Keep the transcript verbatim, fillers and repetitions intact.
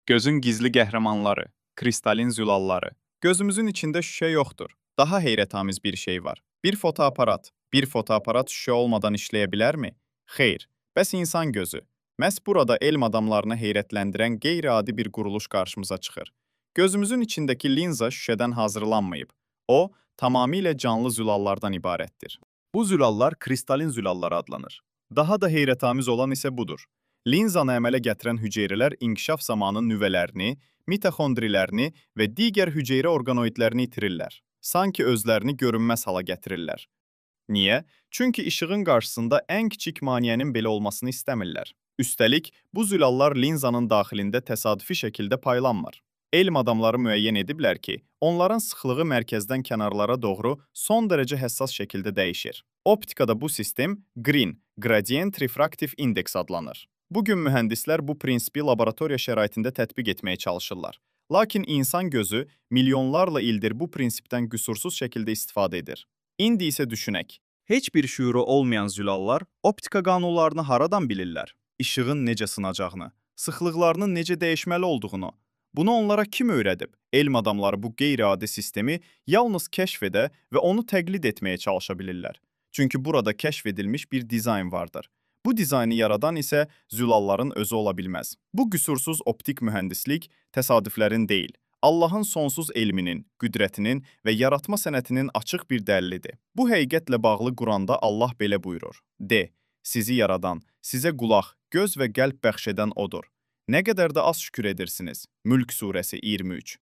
Gözün gizli qəhrəmanları, kristalin zülalları. Gözümüzün içində şüşə yoxdur. Daha heyrətamiz bir şey var. Bir fotoaparat. Bir fotoaparat şüşə olmadan işləyə bilərmi? Xeyr. Bəs insan gözü? Məhz burada elm adamlarını heyrətləndirən qeyri-adi bir quruluş qarşımıza çıxır. Gözümüzün içindəki linza şüşədən hazırlanmayıb. O, tamamilə canlı zülallardan ibarətdir. Bu zülallar kristalin zülalları adlanır. Daha da heyrətamiz olan isə budur. Linzanı əmələ gətirən hüceyrələr inkişaf zamanı nüvələrini, mitoxondrilərini və digər hüceyrə orqanoidlərini itirirlər. Sanki özlərini görünməz hala gətirirlər. Niyə? Çünki işığın qarşısında ən kiçik maneənin belə olmasını istəmirlər. Üstəlik, bu zülallar linzanın daxilində təsadüfi şəkildə paylanmır. Elm adamları müəyyən ediblər ki, onların sıxlığı mərkəzdən kənarlara doğru son dərəcə həssas şəkildə dəyişir. Optikada bu sistem GRIN, Gradient Refractive Index adlanır. Bugün mühəndislər bu prinsipi laboratoriya şəraitində tətbiq etməyə çalışırlar. Lakin insan gözü milyonlarla ildir bu prinsipdən qüsursuz şəkildə istifadə edir. İndi isə düşünək. Heç bir şüuru olmayan zülallar optika qanunlarını haradan bilirlər? İşığın necə sınacağını, sıxlıqlarının necə dəyişməli olduğunu. Bunu onlara kim öyrədib? Elm adamları bu qeyri-adi sistemi yalnız kəşf edə və onu təqlid etməyə çalışa bilirlər. Çünki burada kəşf edilmiş bir dizayn vardır. Bu dizaynı yaradan isə zülalların özü ola bilməz. Bu qüsursuz optik mühəndislik təsadüflərin deyil, Allahın sonsuz elminin, qüdrətinin və yaratma sənətinin açıq bir dəlilidir. Bu həqiqətlə bağlı Quranda Allah belə buyurur. De, sizi yaradan, sizə qulaq, göz və qəlb bəxş edən odur. Nə qədər də az şükür edirsiniz. Mülk surəsi iyirmi üç.